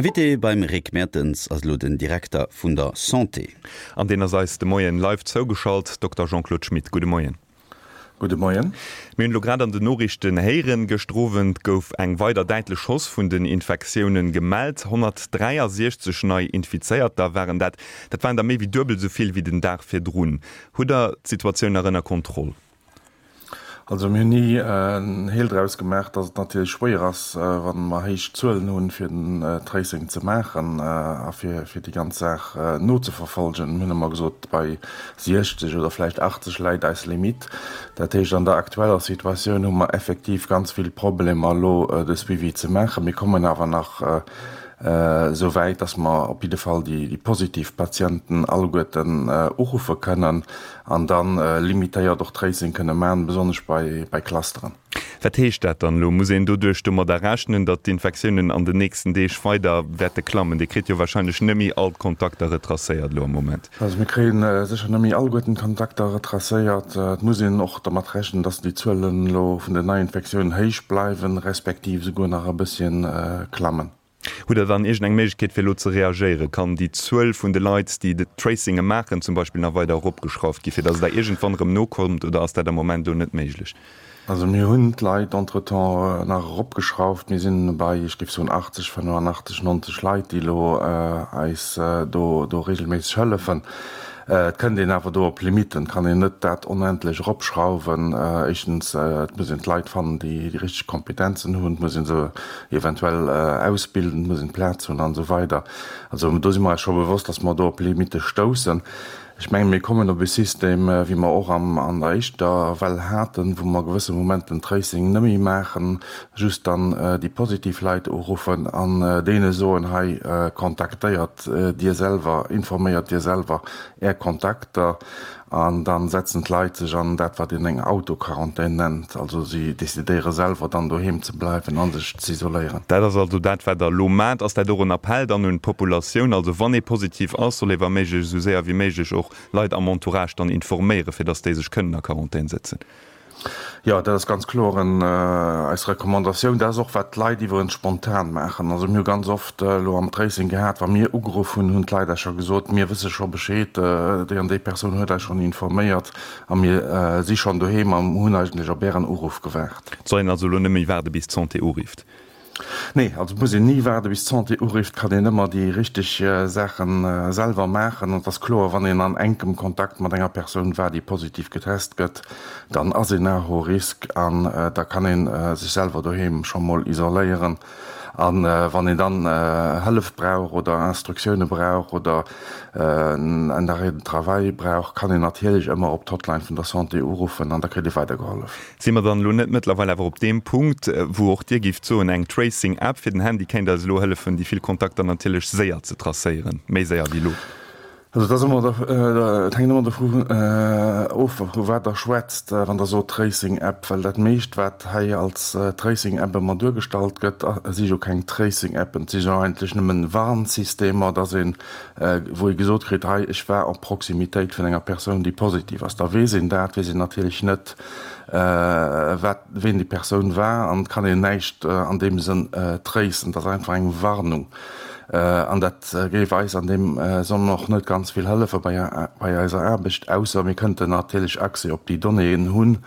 Invité beim Rick Mertens ass elo den Direkter vun der Santé. An deen ass eis de Moien live zougeschalt. Dokter Jean-Claude Schmit, gudde Moien. Gudde Moien. Mir hunn elo grad an den Noriichten héieren, gëschter Owend gouf eng weider däitlech Hausse vun den Infektiounen gemellt. 163 nei Infizéierter waren dat. Dat waren der méi wéi duebel esou vill wéi den Dag virdrun. Hutt Der d'Situatioun nach ënner Kontroll? Also mir hunn ni en Heel draus gemaach, datt et natierlech schwéier ass, wa mer héich Zuelen hunn, fir den Tracing ze maachen a fir déi ganz Saach nozeverfolgen. Mir hunn ëmmer gesot, bei 60 oder vläicht 80 läit eis Limitt. Dat heescht, an der aktueller Situatioun hu mer effektiv ganz vill Problemer elo de Suivi ze maachen. Mir kommen awer nach esou wäit, datt mer op jidde Fall déi positiv Patienten alleguerten uruffe kënnen. An dann limitéiert och Tracing kënne man, besonnesch bei Clusteren. Wat heescht dat dann elo? Muss een doduerch domadder rechnen, datt d'Infektiounen an den nächsten Deeg weider wäerte klammen? Dir kritt jo wahrscheinlech net méi all d'Kontakter retracéiert elo am Moment. Also mir kréien sécher net méi alleguerten d'Kontakter retracéiert. Et muss een och dermat rechnen, datt déi Zuelen elo vun den Neiinfektiounen héich bleiwen, respektiv esouguer nach e bësschen klammen. Hutt Der dann iergend eng Méiglechkeet fir elo ze reagéieren? Kann déi Zuel vun de Leit, déi de Tracinge maachen zum Beispill nach weider eropgeschrauft gi fir datt Der iergendwann erëm nokommt oder ass dat am Moment elo net méiglech? Also mir hunn d'Leit entretemps nach eropgeschrauft. Mir sinn bei, ech géif soen, 80, 85, 90 Leit, déi elo eis do do regelméisseg hëllefen. Et kënnt een awer do op Limitten, et kann een net dat onendlech eropschrauwen. Éischtens, et muss een d'Leit fannen, déi déi richteg Kompetenzen hunn, et muss ee se eventuell ausbilden, et muss een d'Plaz hunn an esou weider. Also do si mer eis scho bewosst, datt mer do op Limitte stoussen. Ech mengen, mir kommen op e System, wéi mer och am an der éischter Well haten, wou mer gewësse Momenten Tracing net méi maachen, just dann déi positiv Leit uruffen an deene soen, hei kontaktéiert Dir selwer, informéiert Dir selwer Är Kontakter. An dann setzen d'Leit sech an dat, wat een eng Autoquarantän nennt. Also si decidéiere selwer dann doheem ze bleiwen a sech z'isoléieren. Dat ass also dat, wat Der elo maacht. Ass dat och en Appell dann un d'Populatioun? Also wann ee positiv ass, soll ee wa méiglech esou séier wéi méiglech och Leit am Entourage dann informéieren, fir datt déi sech kënnen a Quarantän sëtzen? Jo, dat ass ganz kloer eis Recommandatioun. Dat ass och, wat d'Leit iwwerens spontan maachen. Also mir hu ganz oft elo am Tracing gehat, wa mir ugeruff hunn, hunn d'Leit eis scho gesot, mir wësse scho Bescheed, déi an déi Persoun huet eis schonn informéiert a mir si schonn doheem a hunn eigentlech op Ären Uruff gewaart. Et soll een also elo net méi waarde bis d'Santé urifft? Nee, also et muss een ni waarde bis d'Santé urifft, kann een ëmmer déi richteg Saache selwer maachen. An et ass kloer, wann een an enkem Kontakt mat enger Persoun war, déi positiv getest gëtt, dann ass een à haut risque an da kann ee sech selwer doheem scho mol isoléieren. A wann een dann Hëllef brauch oder Instruktioune brauch oder en Arrêt de travail brauch, kann een natierlech ëmmer op d'Hotline vun der Santé uruffen an da kritt ee weidergehollef. Si mer dann elo net mëttlerweil awer op deem Punkt, wou och Dir géift soen, eng Tracing-App fir den Handy kéint eis elo hëllefen, déi vill Kontakter natierlech séier ze tracéieren, méi séier wéi elo? Also et ass ëmmer, et hänkt ëmmer dovu of, vu wat Der schwätzt, wann Der sot Tracing-App, well dat meescht, wat hei als Tracing-App ëmmer duergestallt gëtt, si jo keng Tracing-Appen, et si jo eigentlech nëmmen Warnsystemer, dass een, wou ee gesot kritt, hei, ech war en Proximitéit vun enger Persoun, déi positiv ass. Da weess een dat, weess een natierlech net, wat, ween déi Persoun war an et kann een näischt an deem Sënn tracen. Et ass einfach eng Warnung an dat géif eis an deem Sënn och net ganz vill hëllefe bei, bei eiser Aarbecht, ausser mir kënnten natierlech Accès op déi Donnéeën hunn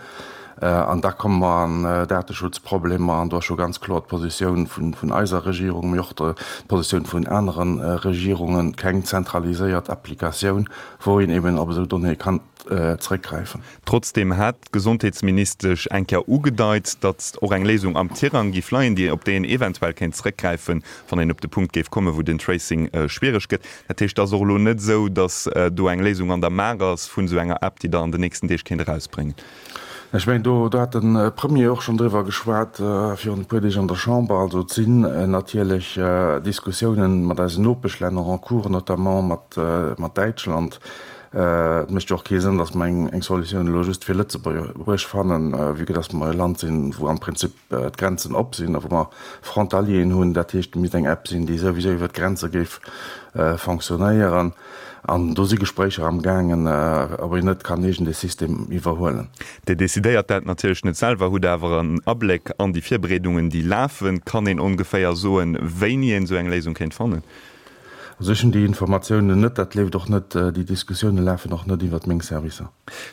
an da komme mer an Dateschutzproblemer an do ass scho ganz kloer d'Positioun vun, vun eiser Regierung, mee och d'Positioun vun anere Regierungen, keng zentraliséiert Applikatioun, wou een eben op esou Donnéeë kann zeréckgräifen. Trotzdeem hat d'Gesondheetsministesch eng Kéier ugedeit, datt och eng Léisung am Tirang géif leien, déi op déi een eventuell kéint zeréckgräifen, wann een op de Punkt géif kommen, wou den Tracing schwiereg gëtt. Dat heescht, et ass och elo net esou, datt do eng Léisung an der Maach ass vun esou enger App, déi Der an den nächsten Deeg kéint erausbréngen. Ech mengen, do hat de Premier och schonn driwwer geschwat virun e puer Deeg an der Chamber. Also et sinn natierlech Diskussiounen mat eisen Nopeschlänner en cours, notamment mat Däitschland. Et mécht jo och kee Sënn, datt mer eng Solutioun elo just fir Lëtzebuerg fannen, vue que datt mer e Land sinn, wou am Prinzip d'Grenzen op sinn a wou mer Frontalieren hunn. Dat heescht, et misst eng App sinn, déi souwisou iwwer d'Grenze géif fonctionnéieren. An do si Gespréicher am gaangen, ob een net kann iergend ee System iwwerhuelen. Dir decidéiert dat natierlech net selwer, hutt awer en Abléck an déi Virbereedungen, déi lafen. Kann een ongeféier soen, wéini een esou eng Léisung kéint fannen? Also ech hunn déi Informatiounen net, dat leeft och net, déi Diskussioune lafen och net iwwert meng Servicer.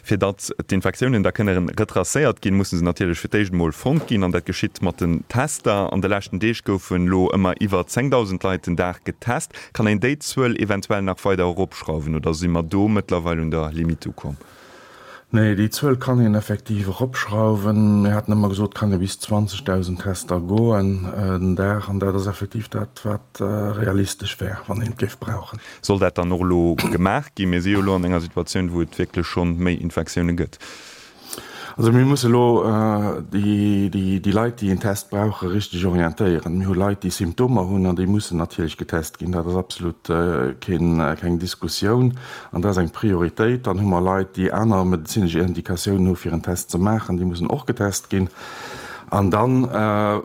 Fir datt d'Infektiounen da kënne retracéiert ginn, musse se natierlech fir d'éischt emol fonnt ginn. An dat geschitt mat den Tester. An de leschten Deeg goufen elo ëmmer iwwer 10.000 Leit den Dag getest. Kann een déi Zuel eventuell nach weider eropschrauwen oder si mer do mëttlerweil un der Limitt ukomm? Nee, déi Zuel kann een effektiv eropschrauwen. Mir haten ëmmer gesot, et kann ee bis 20.000 Tester goen den Dag. An dat ass effektiv dat, wat realistesch wär, wann een et géif brauchen. Soll dat dann och elo gemaach ginn? Mir si jo elo an enger Situatioun, wou et wierklech schonn méi Infektioune gëtt. Also mir musse elo déi Leit, déi een Test brauchen, richteg orientéieren. Mir hu Leit, déi Symptomer hunn an déi mussen natierlech getest ginn. Dat ass absolut keng Diskussioun an dat ass eng Prioritéit. Dann hu mer Leit, déi aner medezinesch Indikatiounen hu fir en Test ze maachen, déi mussen och getest ginn. An da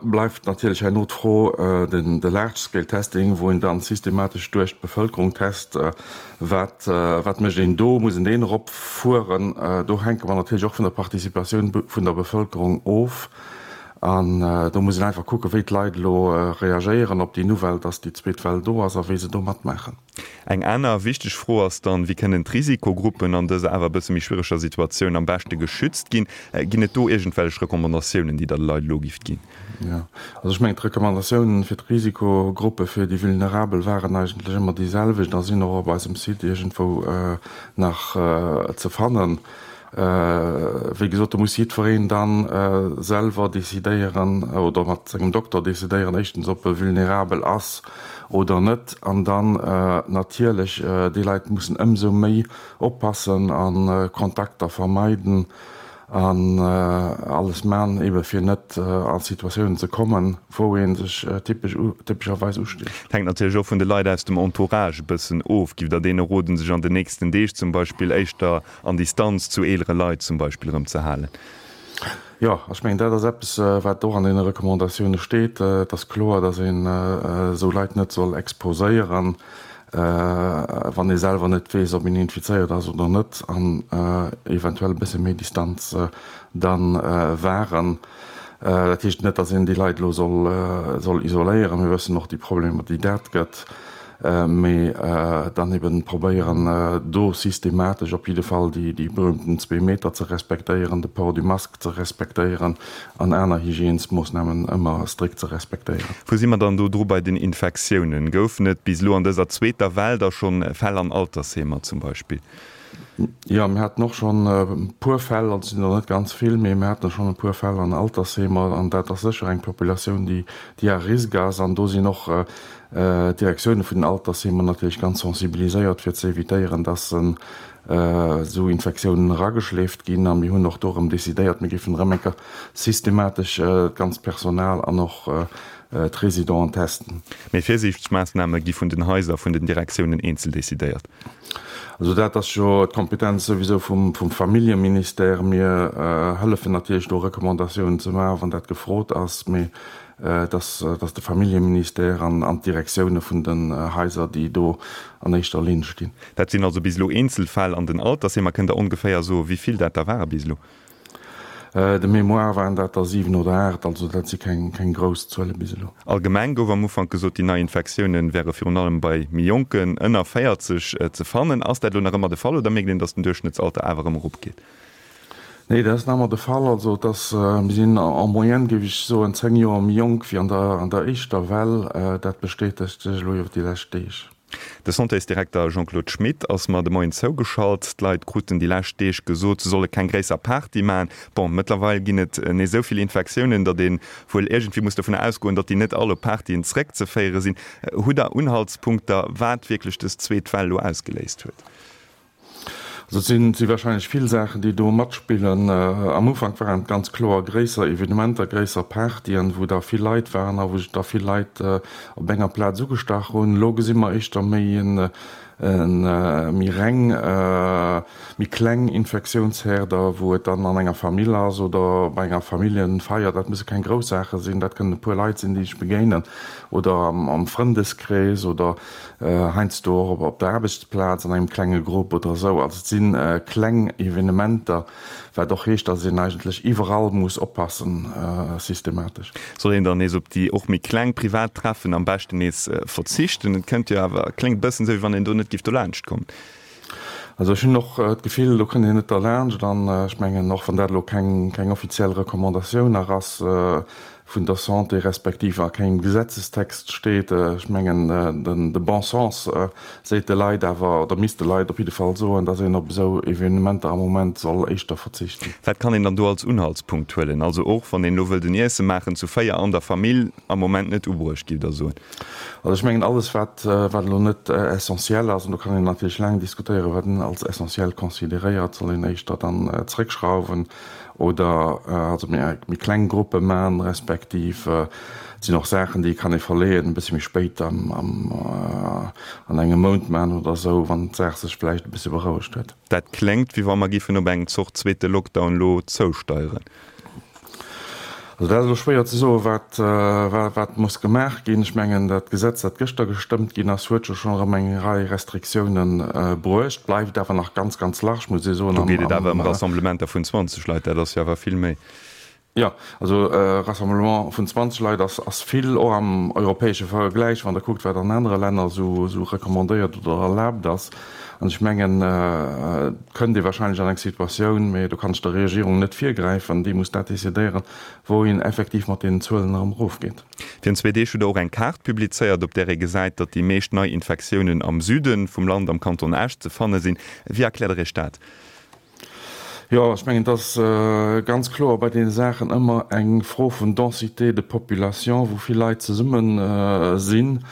bleift natierlech herno d'Fro, de Large Scale Testing, wou een dann systematesch duerch d'Bevëlkerung test, Wat, wat mécht een do? Muss een deen eropfueren? Do hänke mer natierlech och vun der Participatioun vun der Bevëlkerung of. An do muss een einfach kucken, wéi d'Leit elo reagéieren op déi Nouvelle, dass déi zweet Well do ass a wéi se do matmaachen. Eng aner wichteg Fro ass dann, Wéi kënnen d'Risikogruppen an dëser awer e bësse méi schwiereger Situatioun am beschte geschützt ginn? Ginn et do iergendwellech Recommandatiounen, déi Der de Leit elo gifft ginn? Jo, also ech mengen, d'Recommandatiounen fir d'Risikogruppe, fir déi Vulnerabel waren eigentlech ëmmer déi selwecht a sinn och op eisem Site iergendwou nach ze fannen. Wéi gesot, do muss jiddwereen da selwer decidéieren oder mat sengem Dokter decidéieren, éischtens, ob e vulnerabel ass oder net, an dann natierlech, déi Leit mussen ëmsou méi oppassen a Kontakter vermeiden. An alles man, ebe fir net a Situatiounen ze kommen, wou ee sech typesch, typescherweis ustécht. Et hänkt natierlech och vun de Leit aus dem Entourage e bëssen of. Giff Der deene roden, sech an den nächsten Deeg zum Beispill éischter an Distanz zu eelere Leit zum Beispill erëm ze halen? Jo, ech mengen, dat ass eppes, wat och an deene Recommandatioune steet. Et ass kloer, datt een esou Leit net soll exposéieren. wann ee selwer net weess, ob een infizéiert ass oder net, an eventuell e bësse méi Distanz da wahren. Dat heescht net, datt een déi Leit elo soll isoléieren, mir wëssen och déi Problemer, déi dat gëtt, mee dann eben probéieren, do systematesch op jidde Fall déi berühmten zwee Meter ze respektéieren, de Port du masque ze respektéieren an aner Hygiènesmoossnamen ëmmer strikt ze respektéieren. Wou si mer dann do dru bei den Infektiounen? Goufen et bis elo an dëser zweeter Well da schonn Fäll an Altersheemer zum Beispill? Jo, mir haten och schonn e puer Fäll, also et sinn der net ganz vill, mee mir haten schonn e puer Fäll an Altersheemer an dat ass sécher eng Populatioun, déi déi à risque ass an do sinn och d'Direktioune vun den Altersheemer natierlech ganz sensibiliséiert fir ze evitéieren, dass esou Infektiounen erageschleeft ginn a mir hunn och do erëm decidéiert, mir géifen erëm eng Kéier systematesch d'ganzt Personal an och d'Residenten testen. Mee Virsiichtsmaassname gi vun den Haiser, vun den Direktiounen eenzel decidéiert? Also dat ass jo d'Kompetenz souwisou vum Familljeministère. Mir hëllefen natierlech do Recommandatiounen ze maachen, wann dat gefrot ass. Mee Et ass de Familljeministère an d'Direktioune vun den Haiser, déi do an éischter Linn stinn. Dat sinn also bis elo Eenzelfäll an den Altersheemer. Kënnt Der ongeféier soen, wéi vill dat der ware bis elo? De Mémoire waren dat der 7 oder 8, also dat si keng grouss Zuele bis elo. Allgemeng gouf am Ufank gesot, déi nei Infektioune wäre virun allem bei méi Jonken, ënner 40, ze fannen. Ass dat elo nach ëmmer de Fall oder mierkt een, datt den Duerchschnëttsalter awer erëm eropgeet? Nee, dat ass nach ëmmer de Fall. Also et ass, mir sinn en moyenne, géif ech soen, 10 Joer méi jonk wéi an der an der éischter Well. Dat bestätegt sech elo iwwer déi lescht Deeg. De Santésdirekter Jean-Claude Schmit ass mer de Moien zougeschalt. D'Leit kruten déi lescht Deeg gesot, se solle keng gréisser Party maachen. Bon, mëttlerweil ginn et nees esou vill Infektiounen, datt ee wuel iergendwéi muss dovunner ausgoen, datt déi net all op Partyen zeréckzeféiere sinn. Hutt Der Unhaltspunkter, wat wierklech dës zweet Well elo ausgeléist huet? Also et si warscheinlech vill Saachen, déi do matspillen. Am Ufank waren et ganz kloer gréisser Evenementer, gréisser Partyen, wou da vill Leit waren a wou sech da vill Leit op enger Plaz ugestach hunn. Elo gesi mer éischter méi en. méi reng, méi kleng Infektiounsherder, wou et dann an enger Famill ass oder bei enger Familljenfeier. Dat musse keng grouss Saache sinn, dat kënnen e puer Leit sinn, déi sech begéinen oder am Frëndeskrees oder heiansdo och op der Aarbechtsplaz an engem klenge Grupp oder esou. Also et si kleng Evenementer, Wat och heescht, dass een eigentlech iwwerall muss oppassen, systematesch. Soll een dann nees op déi och méi kleng privat Treffen am beschten nees verzichten? Et kënnt jo awer, kléngt e bëssen esou, wéi wann een do net géif dolaanscht kommen. Also ech hunn och d'Gefill, do kënnt een net derlaanscht. An ech mengen, och wann dat elo keng offiziell Recommandatioun nach ass, vun der Santé respektiv a kengem Gesetzestext steet. Ech mengen, de bon sens seet de Leit awer, oder misst de Leit op jidde Fall soen, dass een op esou Evenementer am Moment soll éischter verzichten. Wat kann een dann do als Unhaltspunkt huelen? Also och wann een elo wëllt en Iesse maachen zu 4 an der Famill, am Moment net ubruecht, giff Der soen? Also ech mengen, alles wat elo net essentiel ass, an do kann een natierlech laang diskutéieren, wat een als essentiel consideréiert, soll een éischter dann zréckschrauwen. Oder also méi kleng Gruppe man, respektiv et sinn och Saachen, déi kann ee verleeën, e bësse méi spéit am an engem Mount man oder esou, wann d'Saach sech vläicht e bësse berouegt huet. Dat kléngt, wéi wa mer giffen op eng Zort zweete Lockdown elo zousteieren. Also dat ass elo schwéier ze soen, wat wat muss gemaach ginn. Ech mengen, dat Gesetz, dat gëschter gestëmmt ginn ass, huet jo schonn erëm eng Rei Restriktiounen bruecht, bleift awer nach ganz, ganz large, muss ee soen. Do geet et awer ëm Rassemblementer vun 20 Leit, dat ass jo awer vill méi. Jo, also e Rassemblement vun 20 Leit ass ass vill, och am europäesche Vergläich, wann Der kuckt, wat an anere Länner esou esou recommandéiert oder erlaabt ass. An ech mengen, et kënnt ee wahrscheinlech an eng Situatioun, mä do kann ech der Regierung net virgräifen, déi muss dat decidéieren, wou een effektiv mat deenen Zuelen erëm erofgeet. Virun zwee Deeg hutt Der och eng Kaart publizéiert, op där ee gesäit, datt déi meescht Neiinfektiounen am Süde vum Land, am Kanton Esch, ze fanne sinn. Wéi erkläert Der Iech dat? Jo, ech mengen, et ass ganz kloer bei deene Saachen ëmmer eng Fro vun Densité de population, wou vill Leit zesumme sinn,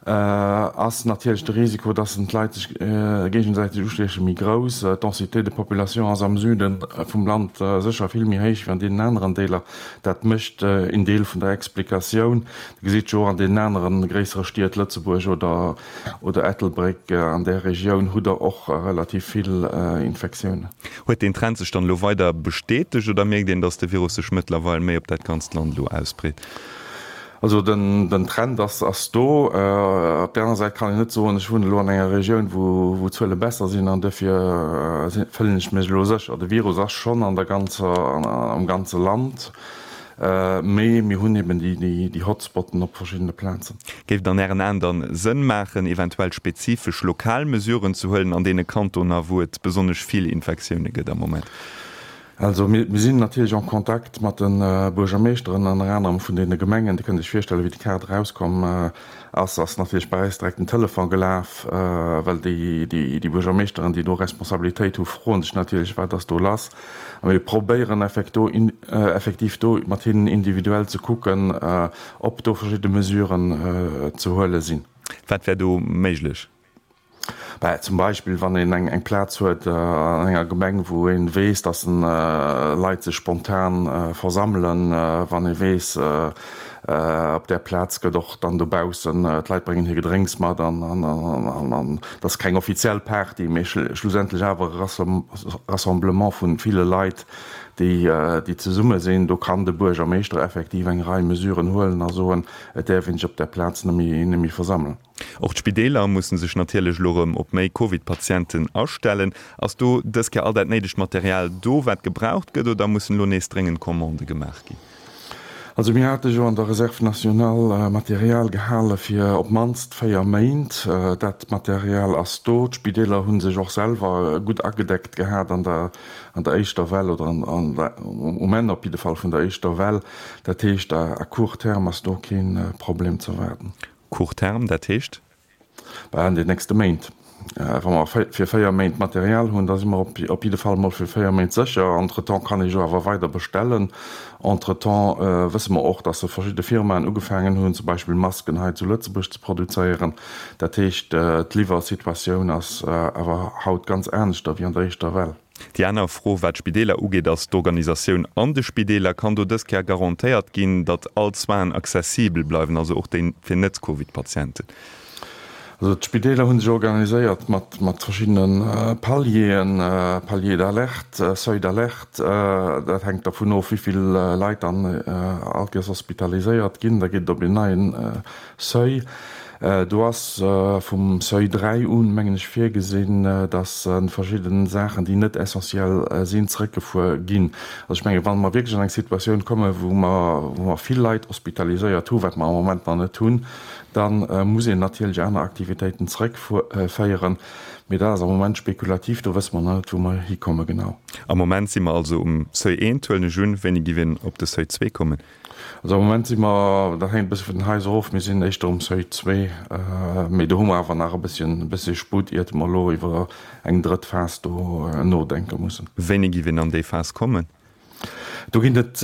ass natierlech de Risiko, dass d'Leit sech géigesäiteg ustiechen, méi grouss. D'Densité de population ass am Süde vum Land sécher vill méi héich wéi an deenen aneren Deeler. Dat mécht een Deel vun der Explikatioun. Dir gesitt jo och an deenen anere gréissere Stied, Lëtzebuerg oder oder Ettelbréck, an där Regioun hutt Der och relativ vill Infektiounen. Huet deen Trend sech dann elo weider bestätegt oder mierkt een, datt de Virus sech mëttlerweil méi op dat ganzt Land elo ausbreet? Also den Trend ass do. Op där aner Säit kann een net soen, ech wunnen elo an enger Regioun, wou d'Zuele besser sinn an dofir fëllen ech mech elo sécher. De Virus ass schonn an der ganzer, am ganze Land. Mee mir hunn eben déi Hotspotten op verschiddene Plazen. Géif et an Ären Aen dann Sënn maachen, eventuell spezifesch lokal Mesuren ze huelen an deene Kantoner, wou et besonnesch vill Infektioune gëtt am Moment? Also mir sinn natierlech en Contact mat de Buergermeeschteren, ënner anerem vun deene Gemengen. Dir kënnt Iech virstellen, wéi déi Kaart erauskomm ass, ass natierlech bei eis direkt den Telefon gelaf, well déi Buergermeeschteren, déi do Responsabilitéit hu, froen sech natierlech, wat ass do lass. A mir probéieren effektiv do mat hinnen individuell ze kucken, ob do verschidde Mesuren ze huele sinn. Wat wär do méiglech? Bah, zum Beispill, wann een eng Plaz huet an enger Gemeng, wou ee weess, datt Leit sech spontan versammelen, wann ee weess, Op där Plaz gëtt och dann dobaussen, d'Leit bréngen hir Gedrénks mat an an et ass keng offiziell Party, mee schlussendlech awer e Rassemblement vu ville Leit, déi zesumme sinn. Do kann de Buergermeeschter effektiv eng Rei Mesuren huelen a soen, et däerf een sech op där Plaz net méi versammelen. Och d'Spideeler musse sech natierlech elo erëm op méi Covid-Patienten astellen. Ass do dës Kéier all dat néidegt Material do, wat gebraucht gëtt, oder mussen elo nees dréngend Commandë gemaach ginn? Also mir hate jo an der Réserve nationale Material gehale fir op d'mannst 4 Méint. Dat Material ass do. D'Spideeler hu sech och selwer gutt agedeckt gehat an der an der éischter Well oder an der um Enn op jidde Fall vun der éischter Well. Dat heescht, à court terme ass do kee Problem ze erwaarden. Court terme, dat heescht? Bah, an den nächste Méint. Wa mer fir 4 Méint Material hunn, da si mer op jidde Fall mol fir 4 Méint sécher. Entretemps kann ee jo awer weider bestellen. Entretemps wësse mer och, dass verschidde Firmaen ugefaangen hunn, zum Beispill Masken hei zu Lëtzebuerg ze produzéieren. Dat heescht, d'Liwwersituatioun ass awer haut ganz aneschter wéi an der éischter Well. Déi aner Fro, wat d'Spideeler ugeet, ass d'Organisatioun an de Spideeler. Kann do dës Kéier garantéiert ginn, datt all d'Soinen accessibel bleiwen, also och déi fir Net-Covid-Patienten? Also d'Spideeler hu sech organiséiert mat mat verschiddene Palieren, Palier d'alerte, Seuil d'alerte. Dat hänkt dervun of, wéi vill Leit dann all Kéiers hospitaliséiert ginn. Da geet et op een neien Seuil. Do ass vum Seuil 3 un, mengen ech, virgesinn, datt verschidde Saachen, déi net essentiell sinn, zeréckgefuer ginn. Also ech menge wa mer wierklech an eng Situatioun kommen, wou mer wou mer vill Leit hospitaliséiert hu, wat mer am Moment nach net hunn, Da muss een natierlech aner Aktivitéiten zeréckféieren, mee dat ass am Moment spekulativ, do wësse mer nach net, wou mer hikomme genau. Am Moment si mer also um Seuil eent, huelen ech un. Wéini giff een op de Seuil zwee kommen? Also am Moment si mer, dat hänkt e bësse vun den Haiser of, mir sinn éischter um Seuil zwee, mee do hu mer awer nach e bësschen, e bëssche Sputt, iert mer elo iwwer eng drëtt Phas do nodenke mussen. Wéini giff een an déi Phas kommen? Do ginn et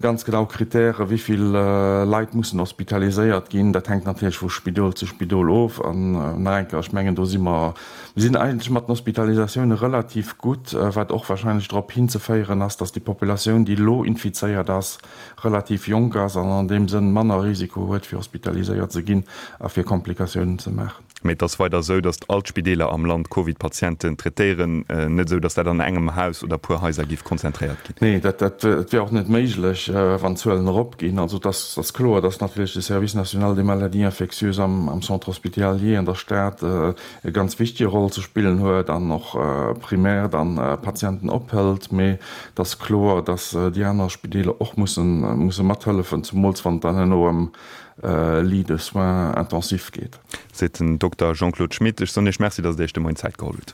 ganz genau Kritären, wéi vill Leit mussen hospitaliséiert ginn. Dat hänkt natierlech vu Spidol zu Spidol of. An nach eng Kéier, ech mengen, do si mer, mir sinn eigentlech mat den Hospitalisatioune relativ gutt, wat och warscheinlech drop hinzeféieren ass, datt déi Populatioun, déi elo infizéiert ass, relativ jonk ass an an deem Sënn manner Risiko huet, fir hospitaliséiert ze ginn a fir Komplikatiounen ze maachen. Mee et ass weider esou, datt all d'Spideeler am Land Covid-Patienten traitéieren. Net esou, datt dat an engem Haus oder puer Haiser géif konzentréiert ginn. Nee, dat wier och net méiglech, wann d'Zuelen eropginn. Also et ass kloer, datt natierlech de Service national des maladies infectieuses am Centre hospitalier an der Stad e ganz wichtege Roll ze spillen huet an och primär dann Patienten ophëlt. Mee et ass kloer, datt déi aner Spideeler och musse mathëllefen, zemools wann et dann herno ëm Lits de soins intensifs geet. Seet den Dokter Jean-Claude Schmit. Ech soen Iech Merci, datt Der Iech de Moien Zäit geholl hutt.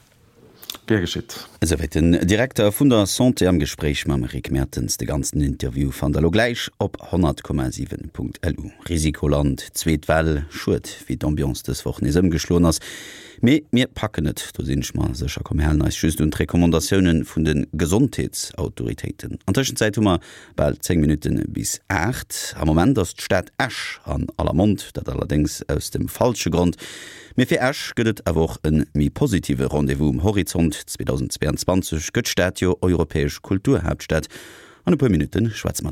Gär geschitt. Esouwäit den Direkter vun der Santé am Gespréich mam Rick Mertens. De ganzen Interview fannt der lo gläich op 100,7.lu. Risikoland, zweet Well, schued wéi d'Ambiance dës Woch nees ëmgeschloen ass. Mee mir packen et, do sinn ech mer sécher. Komm mir halen eis just un d'Recommandatioune vun de Gesondheetsautoritéiten. An Tëschenzäit hu mer Bal 10 Minutte bis 8. Am Moment ass d'Stad Esch an aller Mond, dat allerdéngs aus dem falsche Grond. Mee fir Esch gëtt et awer och e méi positive Rendez-vous um Horizont. 2022 gëtt d'Stad jo europäesch Kulturhaaptstad. An e puer Minutte schwätze mer driwwer.